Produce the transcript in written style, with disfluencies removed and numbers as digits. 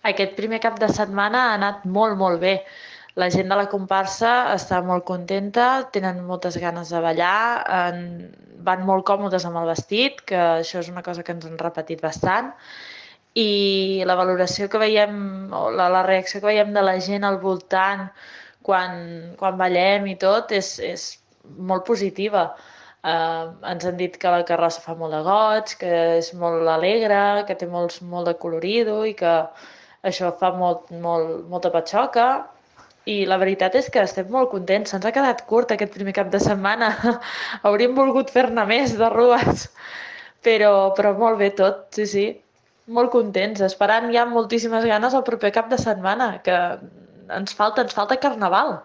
Aquest primer cap de setmana ha anat molt, molt bé. La gent de la comparsa està molt contenta, tenen moltes ganes de ballar, van molt còmodes amb el vestit, que això és una cosa que ens han repetit bastant, i la valoració que veiem, o la reacció que veiem de la gent al voltant quan ballem i tot és molt positiva. Ens han dit que la carrossa fa molt de goig, que és molt alegre, que té molt de colorido i que això fa molta patxoca. I la veritat és que estem molt contents. Se'ns ha quedat curt aquest primer cap de setmana. Hauríem volgut fer-ne més de rues. Però molt bé tot, sí, sí. Molt contents, esperant ja amb moltíssimes ganes el proper cap de setmana, que ens falta carnaval.